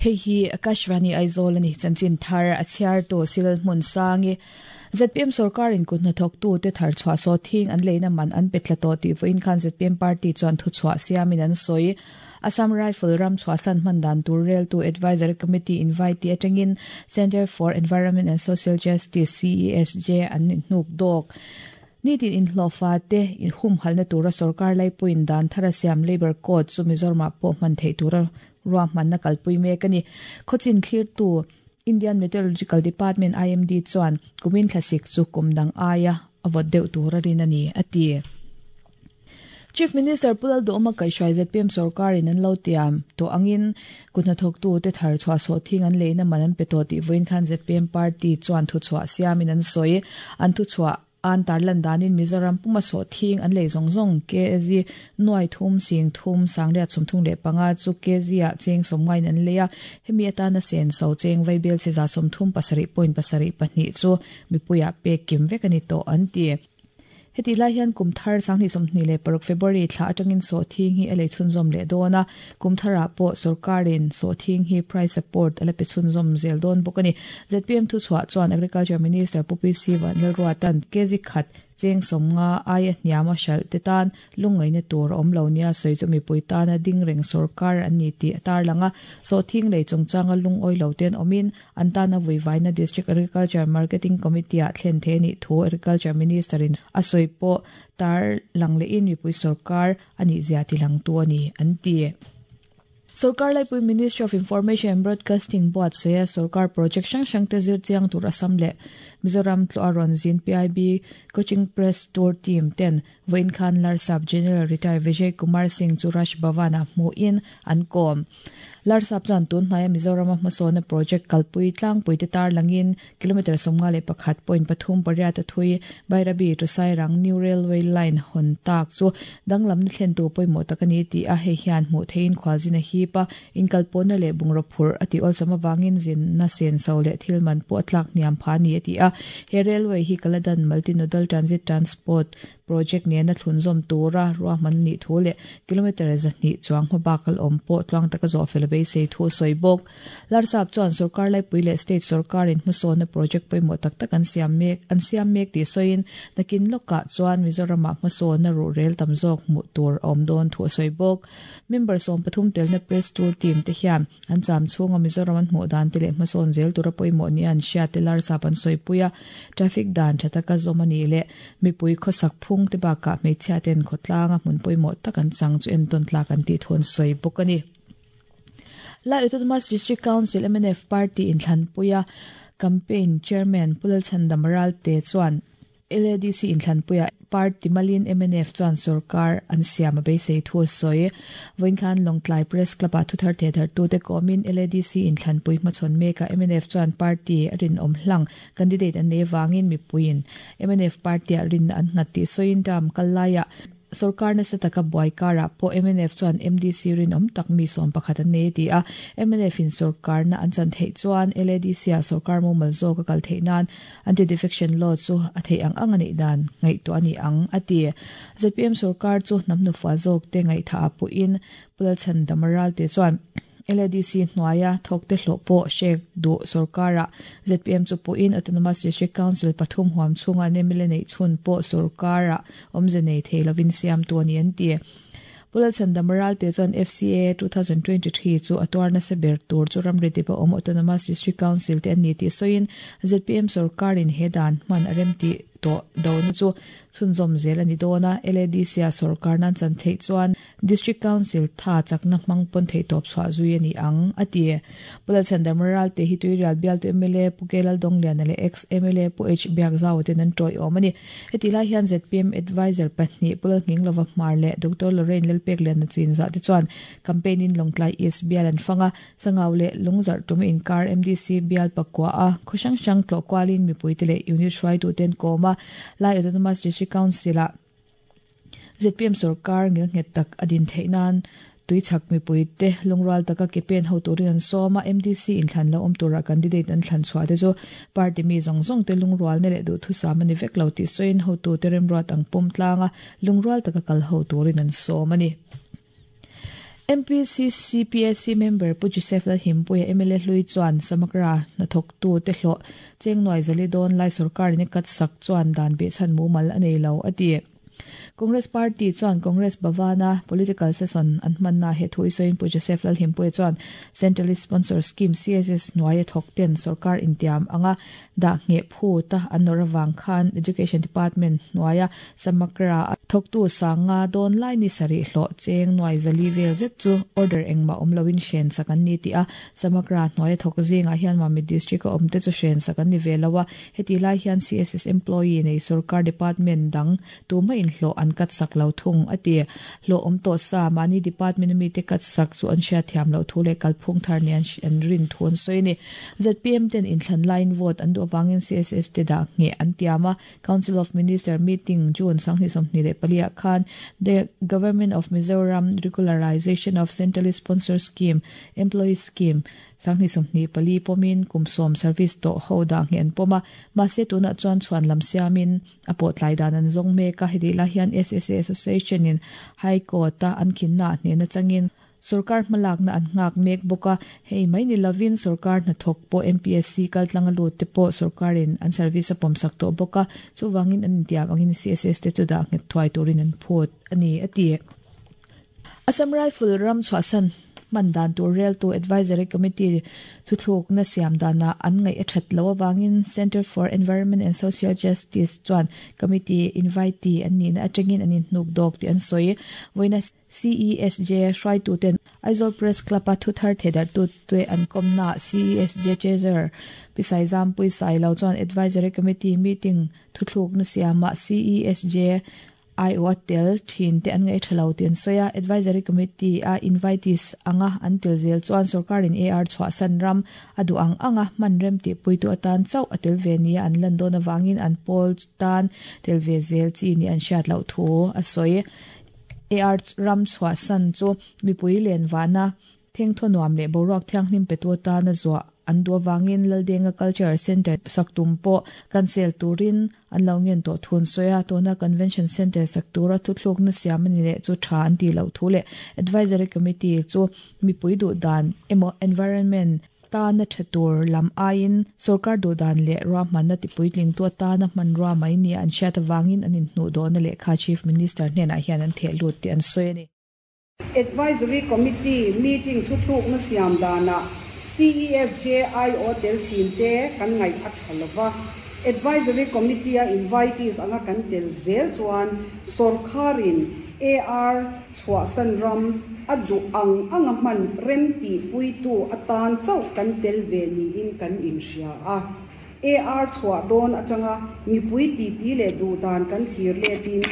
Hei hi Akashvani Aizawl a ni. Chanchin thar a chhiartu Silal Hmunsangi. Zpm sorkarin kut hnathawktute thar chhuah sawt hing an leina man an pe tla tawh tih vawiin khan zpm party chuan thuchhuah siamin an sawi. Assam Rifle ram chhuahsan hman dan tur reltu Advisory Committee invite tih atangin Centre for Environment and Social Justice, CESJ, an hnuk dawk. Nitin inhlawhfa te humhalhna tura sorkar laipuiin dan thar a siam Labour Code chu Mizoramah pawh hman theih tura ruahmanna kalpui mek a ni. Khawchin thlirtu Indian Meteorological Department, IMD, chuan kumin thlasik chu kum dang aia a vawt deuh tur a rin a ni, a ti. Chief Minister Pu Lalduhawma kaihhruai zpm sorkarin an lo tiam tawh angin kut hnathawktute thar chhuah sawhthing an leina man an pe tawh tih vawiin khan zpm party chuan thuchhuah siamin an sawi. An thuchhuah an tarlan danin Mizoram puma sawhthing an lei zawng zawng kg nuai thum sing thum sangriat 35 chu kg ah cheng sawmngaiin an lei a, hemi atana senso cheng vaibel cheza 37.72 chu mipuiah pek kim vek a ni tawh an ti. Hetih lai hian kum thar 2026 February thla atangin sawhthing hi a lei chhunzawm leh dawn a, kum tharah pawh sorkarin sawhthing hi price support a la pe chhunzawm zel dawn bawk a ni. Zpm thuchhuah chuan Agriculture Minister Pu PC Vanlalruata'n kg khat cheng 50 aia hniama hralh te tan Lungngaihna tur a awm lo nia sawi chu mipui tana ding reng sorkar an ni tih a tarlang a. Sawhthing lei chungchanga lungawi lo ten awmin an tana vuivaina District Agriculture Marketing Committee-ah thlen thei a nih thu Agriculture Minister-in a sawi pawh tarlang lehin mipui sorkar a nihzia tilangtu a ni an ti. Sorkar laipui Ministry of Information and Broadcasting buatsaia sorkar project hrang hrangte zir chiang tur Assam leh Mizoram tlawh a rawn zin PIB Coaching Press Tour Team ten vawiin khan Larsap General Retired Vijay Kumar Singh chu Raj Bhavan-ah hmuhin an kawm. Larsap chuan tun hnaia Mizorama hmasawna project kalpui tlangpuite tarlangin Kilometre 51.3 pariat a thui Bairabi to Sairang New Railway Line hawn tak chu danglamna thlentu pawimawh tak a ni tih a, hei hian hmuh theihin khualzin a hip a, inkalpawhna leh bungraw phurh a tih awlsam avangin zinna senso leh thil man pawh a tlak hniam pha a ni a ti a. He railway hi Kaladan Multi-Nodal Transit Transport Project nena thlunzawm tura ruahman a nih thu leh kilometre 200 chuang hmabak kal awm pawh tluang taka zawh fel a beisei thu a sawi bawk. Larsap chuan sorkar laipui leh state sorkarin hmasawnna project pawimawh tak tak an siam mek an siam mek tih sawiin nakin lawkah chuan Mizoramah hmasawnna ruhrel tam zawk hmuh tur a awm dawn thu a sawi bawk. Member 13 telna press tour team te hian An cham chhunga Mizoram an hmuh dan te leh hmasawn zel tura pawimawh nia an hriat te Larsap an sawipui a, traffic dan tha taka zawm a nih leh mipui khawsak phung te bakah hmeichhia ten khawtlanga hmun pawimawh tak an chang chu entawn tlak an tih thu an sawi bawk a ni. Lai Autonomous District Council mnf Party inthlanpuia Campaign Chairman Pu Lalchhandam Ralte chuan, LADC inthlanpuiah party malin mnf chuan sorkar an siam a beisei thu a sawi. Vawiin khan Lawngtlai Press Club-ah thuthar thehthartute kawmin LADC inthlanpui hmachhawn mekah mnf chuan party a rinawm hlang candidate an nei avangin mipuiin mnf party-ah rinna an nghat tih sawiin term kal laiah Sorkar nasa taka buai karah pawh mnf chuan MDC rinawm tak mi 11 an nei a ti a. MNF-in sorkarna an chan theih chuan LADC-ah sorkar mumal zawk a kal theih nan Anti-Defection Law chu a theih ang ang a nih dan ngaihtuah a ni ang, a ti. Zpm sorkar chu hnam nufa zawkte ngaihthaah pawhin Pu Lalchhandama Ralte chuan LADC hnuaia thawkte hlawh pawh hrek duh sorkarah zpm chu pawhin Autonomous District Council pathum huam chhunga an mla neih chhun pawh sorkarah awmze nei thei lovin siamtu a ni an ti. Pu Lalchhandama Ralte chuan FCA 2023 chu a tuar nasa ber tur chu ramri dip a awm Autonomous District Council te an ni tih sawiin zpm sorkarin he dan hman a remtih tawh dona chu chhunzawm zel a ni dawn a, LADC-a sorkar nan chan theih chuan District Council tha chakna hmang pawn theihtawp chhuah zui a ni ang, a ti. Pu Lalchhandama Ralte hi Tuirial bialtu mla Pu K Laldongliana leh Ex mla Pu H Biakzaua ten an tawih-awm a ni. Hetih lai hian zpm Adviser pahnih Pu Lalnghinglova Hmar leh Doctor Lorraine Lalpekliana Chinzah te chuan campaign in Lawngtlai East bial an fang a, Sangau leh Lungzarh tum inkar MDC bial pakua a khaw hrang hrang tlawh kualin mipuite leh unit hruaitute an kawm a, Lai Autonomous District Council-ah Zpm sorkar ngilnghet tak a din theih nan tuichhak mipuite lungrual taka ke pen ho turin an sawm a, MDC inthlan lo awm tura candidate an thlan chhuah te chu party mi zawng zawng te lungrualna leh duhthusam a ni vek lo tih sawiin hotute remruat ang pawm tlanga lungrual taka kal ho turin an sawm a ni. MPCC PAC member Pu Joseph Lalhimpuia mla hlui chuan Samagra hnathawktu te hlawh cheng nuai zali dawn lai sorkarin a cut sak chuan dan behchhan mumal a nei lo a ti. Congress Party chuan Congress Bhavan-a Political Session an hmanna he thu i sawiin Pu Joseph Lalhimpuia chuan Centrally Sponsored Scheme, CSS, hnuaia thawk ten sorkar intiam anga dah ngheh phut a an nawr avang khan Education Department hnuaia Samagra a thawktu sanga dawn lai ni sarih hlawh cheng nuai zali vel zet chu order engmah awm loin hren sak an ni tih a, Samagra hnuaia thawk zingah hian Mamit District a awmte chu hren sak an ni ve lo a, hetih lai hian CSS employee nei sorkar department dang tumah inhlawh an cut sak lo thung a ti. Hlawh awm tawh sa mahni department mite cut sak chu an hriatthiam loh thu leh kalphung thar nia an rin thu an sawi a ni. Zpm ten inthlan laiin vote an duh avangin CSS te dah ngheh an tiam a, Council of Minister meeting June 2024 ah khan The Government of Mizoram Regularization of Centrally Sponsored Scheme Employee Scheme 2024 pawmin kum sawm service tawh ho dah ngheh an pawm a, mahse tunah chuan chhuan lam siamin a pawh tlai dan an zawng mek a, hetih lai hian SSA Association in High Court a an khinna ah hnehna changin Sorkar hmalakna an nghak mek bawk a, hei mai ni lovin sorkar hnathawk pawh MPSC kaltlang a lut te pawh sorkarin an service a pawmsak tawh bawk a, chuvangin an intiam angin CSS te chu dah nghet thuai turin an phut a ni, a ti. Assam Rifle ram chhuahsan hman dan tur reltu Advisory Committee thuthlukna siam danah an ngaih a that loh avangin Centre for Environment and Social Justice chuan Committee invitee an nihna atangin an inhnuk dawk tih an sawi. Vawiina CESJ hruaituten Aizawl Press Club-a thuthar thehdarhtute an kawmnaah CESJ Treasurer Pi Saizampui Sailo chuan Advisory Committee meeting thuthlukna siamah CESJ aiawh a tel thin te an ngaih tha lo tih an sawi a, Advisory Committee a invitees anga an tel zel chuan sorkarin AR chhuahsan ram a duh ang anga hman rem tihpuitu atan chauh a tel ve nia an lan dawn avangin an pawl tan tel ve zel chi nih an hriat loh thu a sawi. AR ram chhuahsan chu mipui len vahna Thengthaw nuam leh boruak thianghlim petu atana zuah an duh avangin Laldenga Cultural Centre sak tum pawh cancel turin an lo ngen tawh thu an sawi a, tuna Convention Centre sak tura thuthlukna siam a ni leh chu tha an tih loh thu leh Advisory Committee chu mipui duh dan emaw environment tana tha tur lam aiin sorkar duh dan leh ruahmanna tipuitlingtu atana hmanrua mai nia an hriat avangin an inhnuhdawhna lehkha Chief Minister hnenah hian an theh lut tih an sawi a ni. Advisory Committee meeting thuthlukna siam danah CESJIO tel thin te kan ngaih a tha lova, Advisory Committee-a invitees anga kan tel zel chuan sawrkharin AR chhuahsan ram a duh ang anga hman rem tihpuitu atan chauh kan tel ve niin kan inhria a. AR chhuah dawn atanga mipui titi leh duh dan kan thlir letin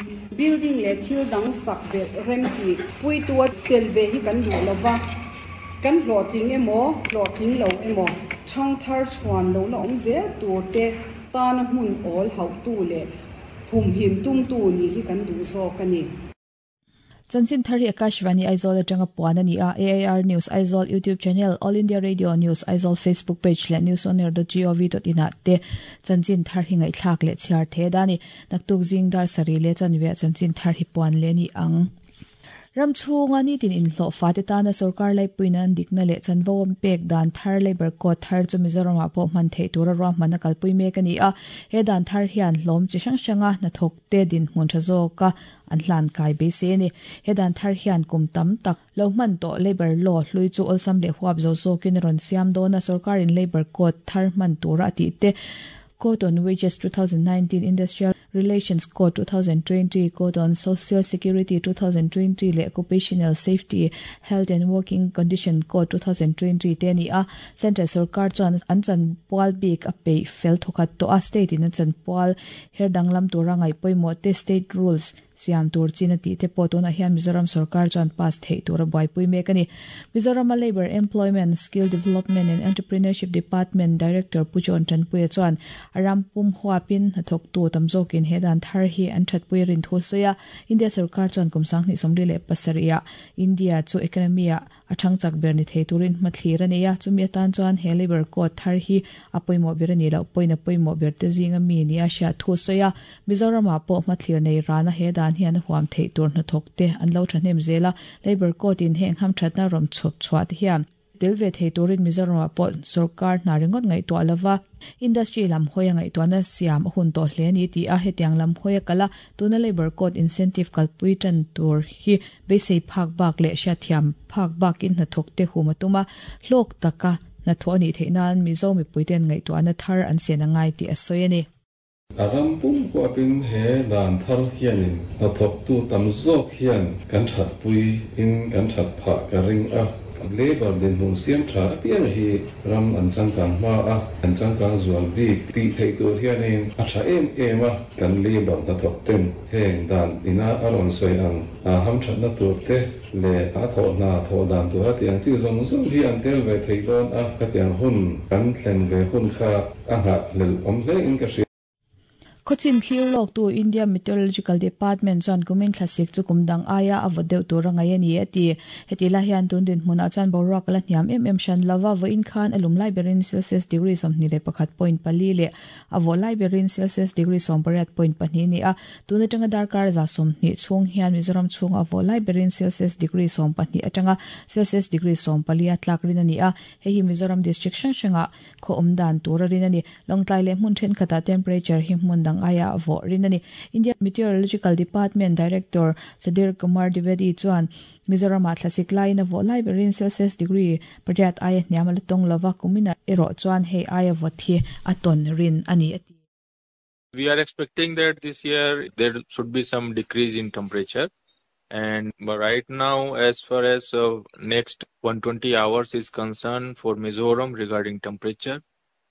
building leh thil dang sak belh rem tih puitu a tel ve hi kan duh lo va, kan hlawhtling emaw hlawhtling lo emaw thangthar chhuan lo la awm zel tur te tana hmun awl hauhtu leh humhim tumtu nih hi kan duh zawk a ni. Chanchin thar hi Akashvani Aizawl atanga puan a ni a, AIR News Aizawl YouTube channel, All India Radio News Aizawl Facebook page leh newsonair.gov.in ah te chanchin thar hi ngaihthlak leh chhiar the da ni. Naktuk zing dar sarih leh chanve ah chanchin thar hi puan leh ni ang. Ram chhunga nitin inhlawh fate tana sorkar laipuiin an dikna leh chanvo an pek dan thar Labour Code thar chu Mizoramah pawh hman theih tura ruahman a kalpui mek a ni a. He dan thar hian hlawm chi hrang hranga hnathawk te dinhmun tha zawka an hlan kai beisei a ni. He dan thar hian kum tam tak lo hman tawh Labour Law hlui chu awlsam leh huap zo zawkin a rawn siam dawn a, sorkarin Labour Code thar hman tura a tih te, Code on Wages 2019, Industrial Relations Code 2020, Code on Social Security 2020 leh Occupational Safety, Health and Working Condition Code 2020 te a ni a. Central sorkar chuan an chanpual bik a peih fel thawkhat tawh a, state in a chanpual Her danglam tura ngaih pawimawh te State Rules siam tur chin a tih te pawh tunah hian Mizoram sorkar chuan pass theih tura buaipui mek a ni. Mizorama Labour, Employment, Skill Development and Entrepreneurship Department Director Pu John Tanpuia chuan a ram pum huapin hnathawktu tam zawkin he dan thar hi an thatpui a rin thu a sawi a. India sorkar chuan kum 2027 ah India chu economy ah. a thang chak ber ni thei turin hmathlir a nei a, chumi atan chuan he Labour Code thar hi a pawimawh ber a nih loh pawhin a pawimawh ber te zinga mi nia hriat thu sawi a, Mizoramah pawh hmathlir nei rana he dan hian a huam theih tur hnathawk te an lo thahnem zel a, Labour Code in heng hamthatna rawm chhawp chhuah te hian tel ve thei turin Mizoramah pawh sorkar hna ringawt ngaihtuah lova industry lam hawia ngaihtuahna siam a hun tawh hle a ni ti a, hetiang lam hawia kala tuna Labour Code incentive kalpui tan tur hi beisei phak bak leh hriatthiam phak bakin hnathawk te hum a tum a, hlawk taka hnathawh a nih theih nan Mizo mipuiten ngaihtuahna thar an sian a ngai tih a sawi a ni. A ram pum huapin he dan thar hianin hnathawktu tam zawk hian kan thatpui in kan that phah ka ring a. Labour dinhmun siam tha apiang hi ram an changkang hma a, an changkang zual bik tih theih tur hianin a tha em em a. Kan labour hnathawk ten heng dan ina a rawn sawi ang a hamthatna tur te leh a thawh hna thawh dan tur a tih ang chi zawng zawng hi an tel ve thei dawn a, khatiang hun kan thlen ve hun kha a nghahhlelh awm hle in ka hria. Khawchin thlir lawktu India Meteorological Department chuan kumin thlasik chu kum dang aia a vawt deuh tur a ngaih a ni, a ti. Heti lai hian tun dinhmunah chuan boruak a la hniam em em hran lo va, vawiin khan a lum lai berin Celsius degree 21.4 leh a vawh lai berin Celsius degree 18.2 a ni a. Tun atanga darkar 20 chhung hian Mizoram chhunga a vawh lai berin Celsius degree 12 atanga Celsius degree 14 a tlak rin a ni a. Hei hi Mizoram district hrang hrangah khaw awm dan tur a rin a ni. Lawngtlai leh hmun thenkhatah temperature hi hmun dang aia a vawh rin a ni. India Meteorological Department Director Sudhir Kumar Dwivedi chuan Mizoramah thlasik laiin a vawh lai berin Celsius degree pariat aia hniam a la tawng lova, kuminah erawh chuan hei aia vawt hi a tawn rin a ni a ti. We are expecting that this year there should be some decrease in temperature and right now as far as uh, next 120 hours is concerned for Mizoram regarding temperature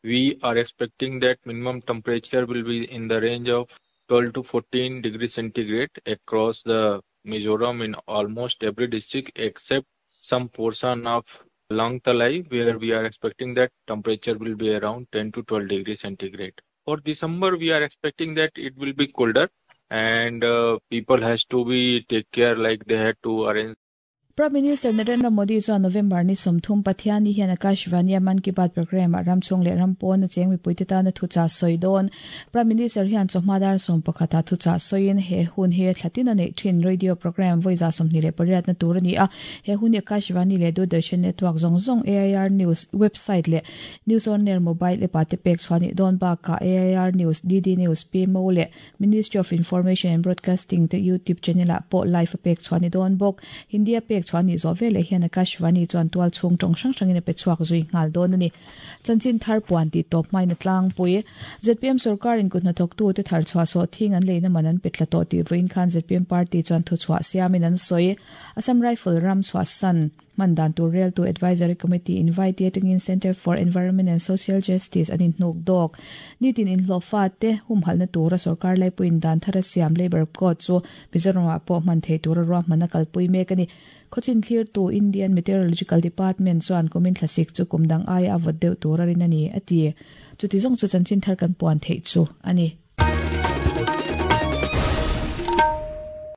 we are expecting that minimum temperature will be in the range of 12 to 14 degrees centigrade across the Mizoram in almost every district except some portion of Lawngtlai where we are expecting that temperature will be around 10 to 12 degrees centigrade. For December, we are expecting that it will be colder and uh, people has to be take care like they had to arrange Prime Minister Narendra Modi chuan November ni 30 Pathianni hian Akashvani-a Mann Ki Baat programme-ah ram chhung leh ram pawna cheng mipuite tana thuchah sawi dawn. Prime Minister hian chawhma dar 11 ah thuchah sawiin he hun hi thlatin a neih thin radio programme vawi 28 na tur a ni a. He hun hi Akashvani leh Doordarshan network zawng zawng, AIR News website leh News on Air mobile app ah te pek chhuah nih dawn bakah AIR News, DD News, PMO leh Ministry of Information and Broadcasting te YouTube channel ah pawh live a pek chhuah ni dawn bawk. Hindi a pek chhuah nih zawh veleh hian Akashvani chuan tual chhung tawng hrang hrangin a pe chhuak zui nghal dawn a ni. Chanchin thar puan tih tawp hmain a tlangpui. Zpm sorkarin kut hnathawktu te thar chhuah sawh thing an leina man an pe tla tawh tih vawiin khan zpm party chuan thuchhuah siamin an sawi. Assam Rifle ram chhuahsan Hman dan tur reltu Advisory Committee invite atangin Centre for Environment and Social Justice an inhnuk dawk. Nitin inhlawhfa te humhalhna tura sorkar laipuiin dan thar a siam Labour Code chu Mizoramah pawh hman thei tura ruahman a kalpui mek a ni. Khawchin thlirtu Indian Meteorological Department chuan kumin thlasik chu kum dang aia a vawt deuh tur a rin a ni, a ti. Chuti zawng chu chanchin thar kan puan theih chu a ni.